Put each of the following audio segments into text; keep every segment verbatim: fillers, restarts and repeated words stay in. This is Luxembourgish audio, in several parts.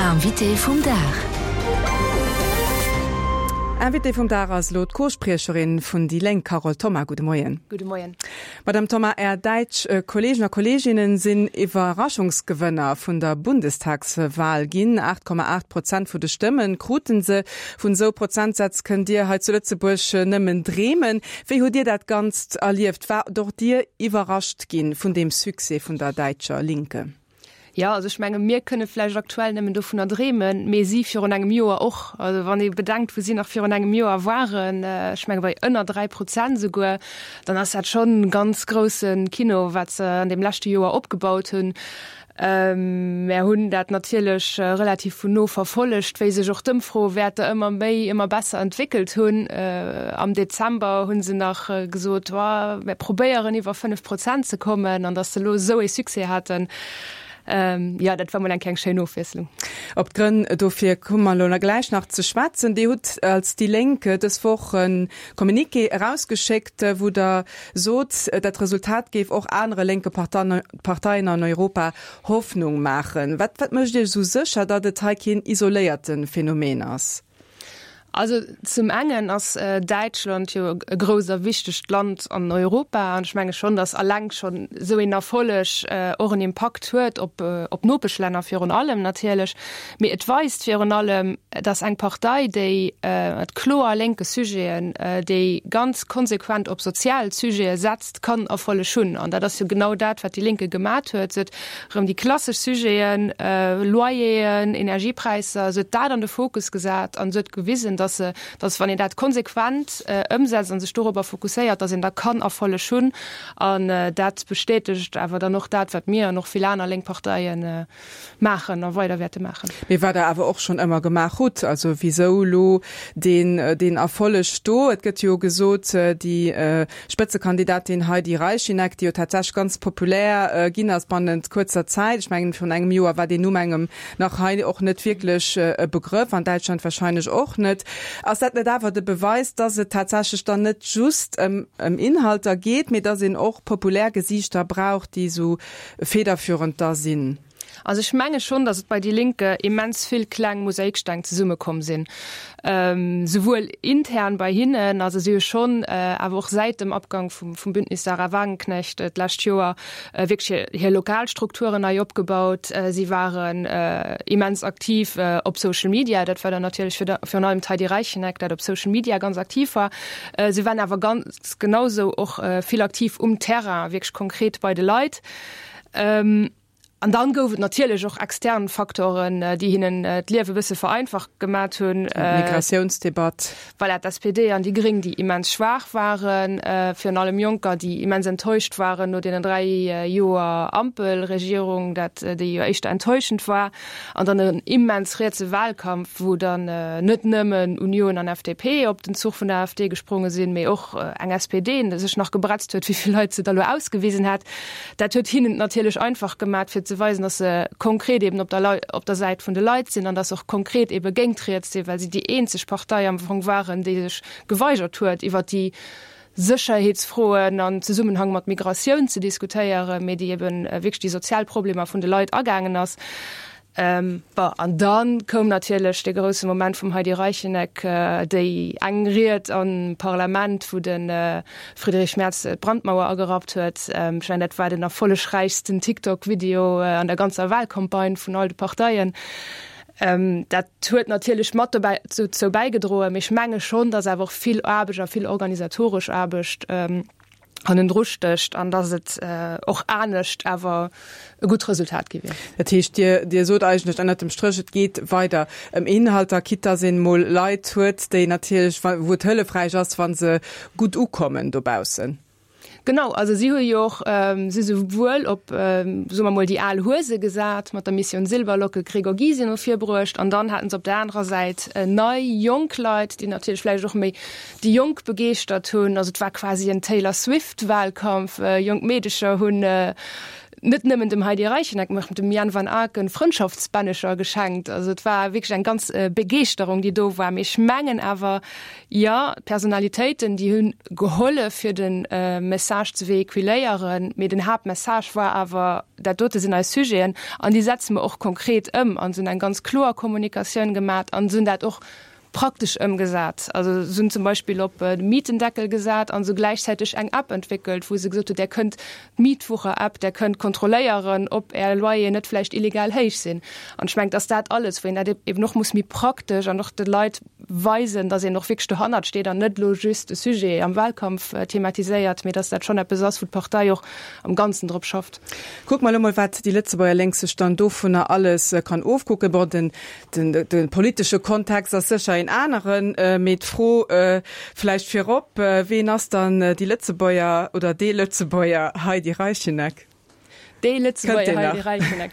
Invité vum Dag. Invité vum Dag ass elo d'Co-Spriecherin vun déi Lénk Carole Thoma. Gudde Moien. Gudde Moien. Madame Thoma, Är däitsch Kolleegen a Kolleeginnen sinn Iwwerraschungsgewënner vun der Bundestagswal ginn. aacht Komma aacht Prozent vu de Stëmme kruten se. Vun esou Prozentsätz kënnt Dir hei zu Lëtzebuerg nëmmen dreemen. Wéi hutt Dir dat Ganzt erlieft? Waart och Dir iwwerrascht ginn vun deem Succès vun der däitscher Linke? Jo, also ech menge mir kënne vläicht aktuell nëmmen dovunner dreemen, mee si virun engem Joer och. Also wann ee bedenkt, wou si nach virun engem Joer waren, ech menge bei ënner dräi Prozent esouguer, dann ass dat schonn ganz grousse Kino, wat se an deem leschte Joer opgebaut hunn. Mär hunn dat natierlech relativ vun no verfollegt, wéi sech och d'Ëmfroewäerter ëmmer méi, ëmmer besser entwéckelt hunn. Am Dezember hu se nach gesot, mär probéieren iwwer fënnef Prozent ze kommen, an datt se elo esou ee Succès haten, Jo, dat war mol eng kleng schéin Ofwiesslung. Op d'Grënn dofir komme mer elo gläich nach ze schwätzen. Dir hutt als déi Lénk dës Woch e Communiqué erausgeschéckt, wou Der sot, dat Resultat géif och anere lénke Parteien an Europa Hoffnung maachen. Wat mécht Iech esou sécher, datt et hei keen isoléierte Phänomen ass? Also zum engen ass Däitschland jo e grousst a wichtegt Land an Europa an ech menge schonn, datt alleng schonn esou een Erfolleg och en Impakt huet op op d'Nopeschlänner virun allem natierlech. Mee et weist virun allem, datt eng Partei, déi mat kloer lénke Sujeten, déi ganz konsequent op sozial Sujete setzt, kann Erfolleg hunn. An dat ass jo genau dat, wat déi Linke gemat huet. Se huet erëm déi klassesch Sujeten, Loyeren, Energiepräisser, se huet dat an de Fokus gesat an se huet gewisen, dass se, dass wann een dat konsequent ëmsetzt an sech dorobber fokusséiert, dass een da kann Erfolleg hunn. An dat bestätegt awer dann och dat, wat mir an och vill aner lénk Parteie maachen a weider wäerte maachen. Mee wat Der awer och schonn ëmmer gemaach hutt. Also wisou elo deen, deen Erfolleg do? Et gëtt jo gesot, déi Spëtzekandidatin Heidi Reichinnek, déi jo tatsächlech ganz populär ginn ass bannent kuerzer Zäit, ech mengen virun engem Joer war deen Numm engem nach hei och net wierklech e Begrëff, an Däitschland wahrscheinlech och net. Ass dat net awer de Beweis, dass et tatsächlech dann net just ëm Inhalter geet, mee dass een och populär Gesiichter brauch, déi esou federführend da sinn? Also ech menge schonn, datt et bei déi Linke immens vill kleng Mosaiksteng zesummekomm sinn, souwuel intern bei hinnen, also si hu schonn awer och säit dem Abgang vum Bündnis Sahra Wagenknecht d'lescht Joer wierklech hir lokal Strukturen nei opgebaut. Si waren immens aktiv op Social Media, dat war dann natierlech virun allem d'Heidi Reichinnek, dat op Social Media ganz aktiv war. Si waren awer ganz genau sou och vill aktiv um Terrain, wierklech konkret bei de Leit. An dann gouf et natierlech och extern Faktoren, déi hinnen d'Liewe e bësse vereinfacht gemat hunn. D'Migratiounsdebatt. Voilà, d'S P D an déi Gréng, déi immens schwaach waren, virun allem Jonker, déi immens enttäuscht waren no deenen dräi Joer Ampelregierung, dat déi jo éischter enttäuschend war. An dann en immens rietse Wahlkampf, wou dann net nëmmen Union an F D P op den Zuch vun der A F D gespronge sinn, mee och eng S P D sech nach gebretzt huet, wéi vill Leit se da lo ausgewisen hätt. Dat huet hinnen et natierlech einfach gemat, fir ze weisen, dass se konkret eben op der, op der Säit vun de Leit sinn an dass se och konkret ebe géint d'Riets sinn, well si déi eenzeg Partei am Fong waren, déi sech geweigert huet, iwwert déi Sécherheetsfroen an Zesummenhang mat Migratioun ze diskutéieren, mee déi eben wierklech déi sozial Problemer vun de Leit agaangen ass. Bon, an da koum natierlech dee grousse Moment vum Heidi Reichinnek, déi eng Ried am Parlament, wou de Friedrich Merz d'Brandmauer agerappt huet. Ech mengen, dat war den erfollegräichsten TikTok-Video an der ganzer Wahlcampagne vun all de Parteien. Dat huet natierlech mat dobäi, dozou bäigedroen. Mee ech menge schonn, datt awer och vill Aarbecht a vill organisatoresch Aarbecht hannendru stécht an datt et och anescht awer e gutt Resultat gi wier. Dat heescht, Dir, Dir sot eigentlech ënnert dem Stréch, et geet weider ëm Inhalter, quitte datt een emol Leit huet, déi natierlech, wou et hëllefräich ass, wa se gutt ukommen dobaussen. Genau, also si hu jo och, si souwuel op, soe mer mol, déi al Huese gesat, mat der Mission Silberlocke Gregor Gysi no vir bruecht, an dann haten se op der anerer Säit nei, jonk Leit, déi natierlech vläicht och méi déi Jonk begeeschtert hunn. Also et war quasi en Taylor Swift-Wahlkampf, jonk Meedecher hunn net nëmmen dem Heidi Reichinnek, mee och dem Jan van Aken Frëndschaftsbännecher geschenkt. Also et war wierklech eng ganz Begeeschterung, déi do war. Mee ech mengen awer, jo, d'Personalitéiten, déi hunn gehollef, fir de Message ze véhiculéieren, mee den Haaptmessage war awer, dat dote sinn eis Sujeten an déi setze mer och konkret ëm an se hunn eng ganz kloer Kommunikatioun gemat an se hunn dat och praktesch ëmgesat. Also se hunn zum Beispill op de Mietendeckel gesat an se gläichzäiteg eng App entwéckelt, wou se gesot hunn, där kënnt, d'Mietwucher-App, där kënnt kontrolléieren, ob Är Loyeren net vläicht illegal héich sinn. An ech mengen, dass dat alles, wou een dat eben och muss méi praktesch an och de Leit weisen, dass een och wierklech dohannert steet an net elo just de Sujet am Wahlkampf thematiséiert, mee dass dat schonn eppes ass, wou d'Partei och am Ganzen drop schafft. Kucke mer elo mol, wat déi Lëtzebuerger Lénk sech dann dovunner alles kann ofkucken. Bon, den, den, de politesche Kontext ass sécher een aneren, mee d'Fro vläicht virop, Ween ass dann déi Lëtzebuerger oder dee Lëtzebuerger Heidi Reichinnek? Déi Lëtzebuerger Heidi Reichinnek?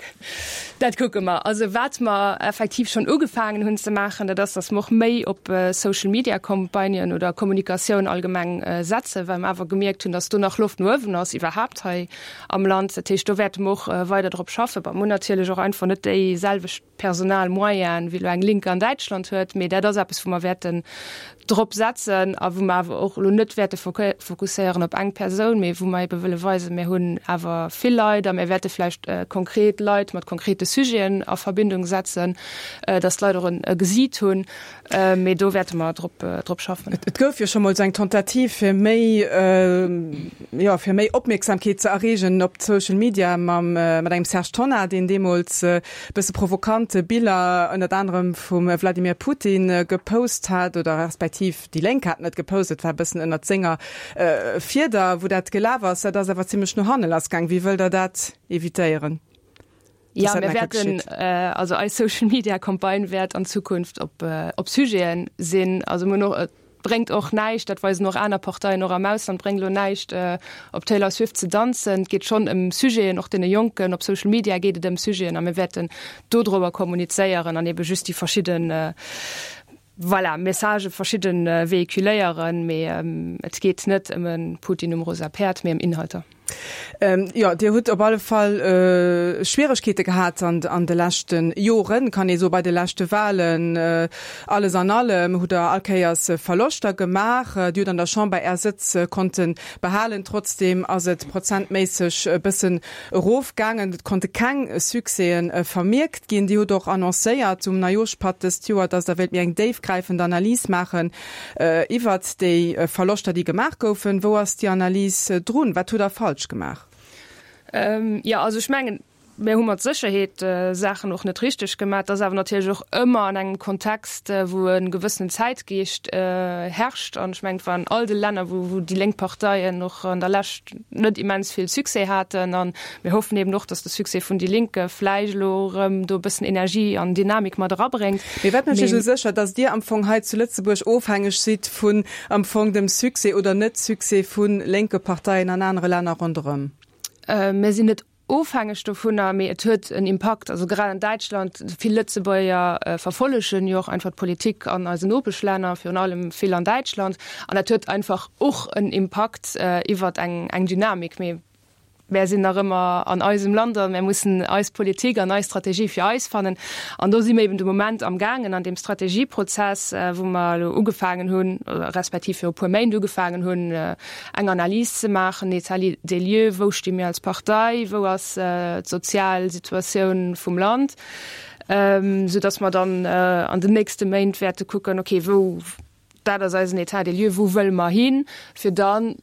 Dat kucke mer. Also wat mer effektiv schonn ugefaangen hunn ze maachen, dat ass, datt mer och méi op Social-Media-Campagnen oder Kommunikatioun allgemeng setzen, well mer awer gemierkt hunn, datt do nach Loft no uewen ass iwwerhaapt hei am Land. Dat heescht, do wäerte mer och weider drop schaffen. Bon, mer hunn natierlech och einfach net déi selwecht Personalmoyenen, wéi elo eng Linke an Däitschland huet, mee dat ass eppes, wou mer wäerten drop setzen a wou mer awer och elo net wäerte fokusséieren op eng Persoun, mee wou mer ebe wëlle weisen, mir hunn awer vill Leit a mir wäerte vläicht konkret Leit mat konkrete Sujeten a Verbindung setzen, dass d'Leit och e Gesiit hunn. Mee do wäerte mer drop, drop schaffen. Et gouf jo scho mol esou eng Tentative, fir méi, jo, fir méi Opmierksamkeet ze erreegen op Social Media mam, mat engem Serge Tonnar, deen deemools e bësse provokant Biller ënnert anerem vum Wladimir Putin gepost hat, oder respektiv déi Lénk haten et gepost, et war e bëssen ënnert senger Fieder, wou dat gelaf ass. Dat ass awer zimlech no hanne lassgaang. Wéi wëllt Der dat evitéieren? Ja, mir wäerten, also eis Social Media Campagne wäert an Zukunft op, op Sujeten sinn. Also mir hunn och, et bréngt och näischt, dat weisen och aner Parteien och am Ausland, bréngt elo näischt op Taylor Swift ze danzen. Et geet schonn ëm Sujeten, och deene Jonken op Social Media geet et ëm Sujeten a mir wäerten dodrower kommunizéieren an ebe just déi verschidden, voilà, Messagë verschidde véhiculéieren. Mee et geet net ëm e Putin um rosa Päerd, mee ëm Inhalter. Jo, Dir hutt op alle Fall Schwieregkeete gehat an de leschte Joren, kann ee soen, bei de leschte Wahlen. Alles an allem hutt Der all Kéiers Verloschter gemaach. Dir hutt an der Chamber Är Sëtz konnte behalen, trotzdeem ass et prozentméisseg e bëssen erofgaangen. Et konnte keng Succèsen vermierkt ginn. Dir hutt och annoncéiert um Neijooschpatt dëst Joer, datt Der wéilt méi eng déifgräifend Analys maachen iwwert déi Verloschter, déi gemaach goufen. Wou ass déi Analys drun? Wat hutt Der falsch gemaach? Jo, also ech mengen, mir hu mat Sécherheet Saachen och net richteg gemaach. Et ass awer natierlech och ëmmer an engem Kontext, wou e gewëssenen Zäitgeescht herrscht. An ech mengen, et war an all de Länner, wou déi lénk Parteien och an der Lescht net immens vill Succès haten. A mir hoffen eben och, datt de Succès vun déi Linke vläicht elo erëm do e bëssen Energie an Dynamik mat erabréngt. Mee wat mécht Iech esou sécher, datt Dir am Fong hei zu Lëtzebuerg ofhängeg sidd vun am Fong dem Succès oder Net-Succès vu lénke Parteien an anere Länner ronderëm? Mir sinn net ofhängeg dovunner, mee et huet en Impakt. Also grad an Däitschland, vill Lëtzebuerger verfollegen jo och einfach d'Politik an eisen Nopeschlänner, virun allem vill an Däitschland. An dat huet einfach och en Impakt iwwert eng Dynamik. Mee mär sinn nach ëmmer an eisem Land a mär mussen eis Politik an eis Strategie fir eis fannen. An do si mir eben de Moment amgaangen an deem Strategieprozess, wou mer elo ugefaangen hunn, respektiv viru e puer Méint ugefaangen hunn, eng Analys ze maachen, en État des lieux, wou sti mir als Partei, wou ass d'sozial Situatioun vum Land, soudass mer dann an den nächste Méint wäerte kucken, okay, wou, dat ass eisen État des lieux, wou wëlle mer hin, fir dann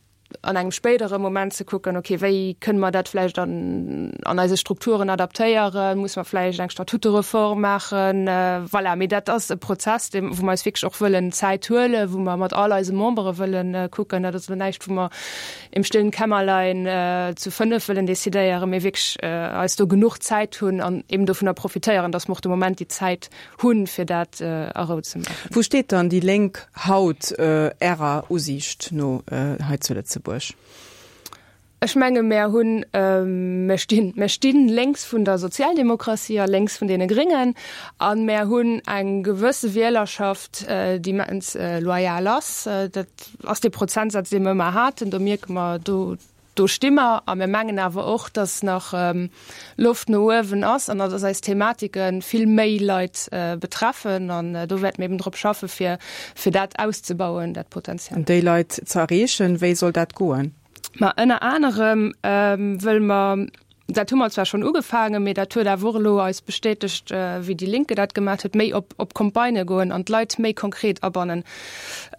an engem spéidere Moment ze kucken, okay, wéi kënne mer dat vläicht an an eise Strukturen adaptéieren, muss mer vläicht eng Statutereform maachen, voilà. Mee dat ass e Prozess, dee wou mer eis wierklech och wëllen Zäit huelen, wou mer mat all eise Membere wëllen kucken. Dat ass elo näischt, wou mer im stillen Kämmerlein zu fënnef wëllen decidéieren, mee wierklech eis do genuch Zäit hunn an eben dovunner profitéieren, datt mer och de Moment déi Zäit hunn, fir dat a Rou ze maachen. Wou steet dann déi Lénk haut Ärer Usiicht no hei zu Lëtzebuerg? Ech menge mär hunn, mär stinn, mär stinn lénks vun der Sozialdemokratie a lénks vun deene Gréngen a mär hunn eng gewësse Wielerschaft, déi immens loyal ass. Dat ass dee Prozentsaz, dee mer ëmmer haten. Do mierke mer, do, Do sti mer a mir mengen awer och, dass nach Loft no uewen ass an dass eis Thematike vill méi Leit betreffen an do wäerte mir eben drop schaffe fir fir dat auszebauen, dat Potenzial. An déi Leit ze erreechen, wéi soll dat goen? Ma ënner anerem wëlle mer, dat hu mer zwar schonn ugefaangen, mee dat huet awer och elo eis bestätegt, wéi Die Linke dat gemaach huet, méi op op Campagnë goen an d'Leit méi konkret abannen.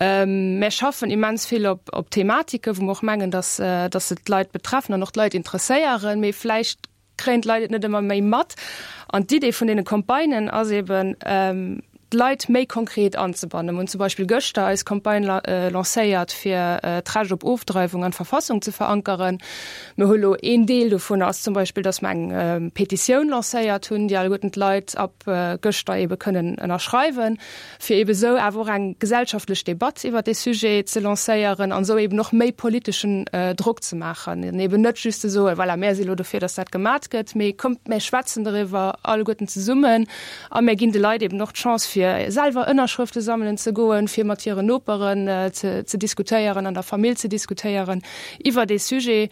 Mär schaffen immens vill op op Thematike wou mer och mengen, dass dass se d'Leit betreffen an och d'Leit interesséieren, mee vläicht kréien d'Leit et net ëmmer méi mat. An d'Idee vun deene Campagnen ass eben, d'Leit méi konkret anzebannen. Mir hunn zum Beispill gëschter eis Campagne lancéiert, fir d'Recht op Ofdreiwung an d'Verfassung ze verankeren. Mir hu lo een Deel dovun ass zum Beispill, datt mer eng Petitioun lancéiert hunn, déi alleguerten d'Leit ab gëschter ebe kënnen ënnerschreiwen, fir ebe sou awer och eng gesellschaftlech Debatt iwwert dee Sujet ze lancéieren an esou eben och méi politeschen Drock ze maachen. An eben net just ze soen, voilà, mär si lo dofir, datt dat gemat gëtt, mee kommt, mär schwätzen doriwwer alleguerten zesummen a mär ginn de Leit eben och d'Chance, fir selwer Ënnerschrëfte sammelen ze goen, fir mat hiren Noperen ze ze diskutéieren, an der Famill ze diskutéieren iwwer dee Sujet,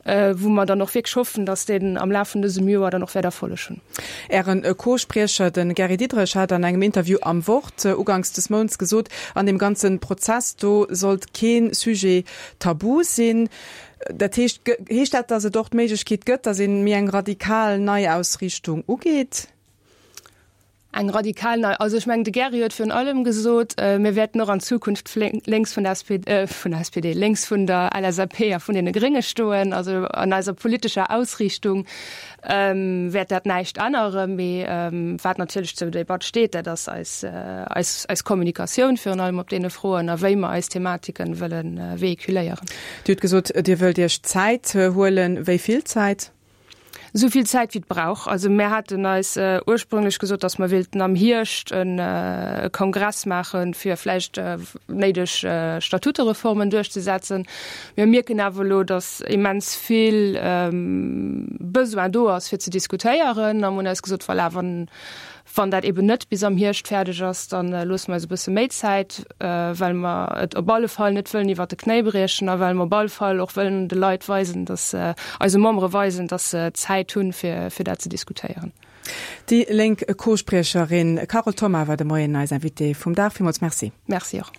wou mer dann och wierklech hoffen, datt deen am Laf vun dësem Joer dann och wäert Erfolleg hunn. Ären Co-Spriecher, de Gary Diderich, hat an engem Interview am Wort uganks des Mounts gesot, an deem ganze Prozess do sollt kee Sujet tabu sinn. Dat heescht, heescht dat, datt et och d'Méiglechkeet gëtt, datt ee méi eng radikal Neiausriichtung ugeet? Eng radikal nei, also ech mengen, de Gary huet virun allem gesot, mir wäerten och an Zukunft lénks vun der S P D, vun der S P D, lénks vun der L S A P a vun deene Grénge stoen. Also an eiser politescher Ausriichtung wäert dat näischt änneren. Mee wat natierlech zur Debatt steet, dat ass eis, eis, eis Kommunikatioun virun allem op deene Froen a wéi mer eis Thematiken wëlle vehiculéieren. Dir hutt gesot, Dir wëllt Iech Zäit huelen. Wéi vill Zäit? Esou vill Zäit wéi et brauch. Also mär haten eis ursprünglech gesot, datt mer wéilten am Hierscht e Kongress maachen, fir vläicht néideg Statutereformen duerchzesetzen. Mir mierken awer elo, datt immens vill Besoin do ass, fir ze diskutéieren a mir hunn eis gesot, voilà, wann Wann dat eben net bis am Hierscht fäerdeg ass, da loosse mer eis e bësse méi Zäit, well mer et op alle Fall net wëllen iwwert de Knéi briechen a well mer op alle Fall och wëllen de Leit weisen, dass, eise Membere weisen, dass se Zäit hunn, fir, fir dat ze diskutéieren. Déi Lénk Co-Spriecherin Carole Thoma war de Moien eis Invitée vum Dag. Villmools Merci. Merci och.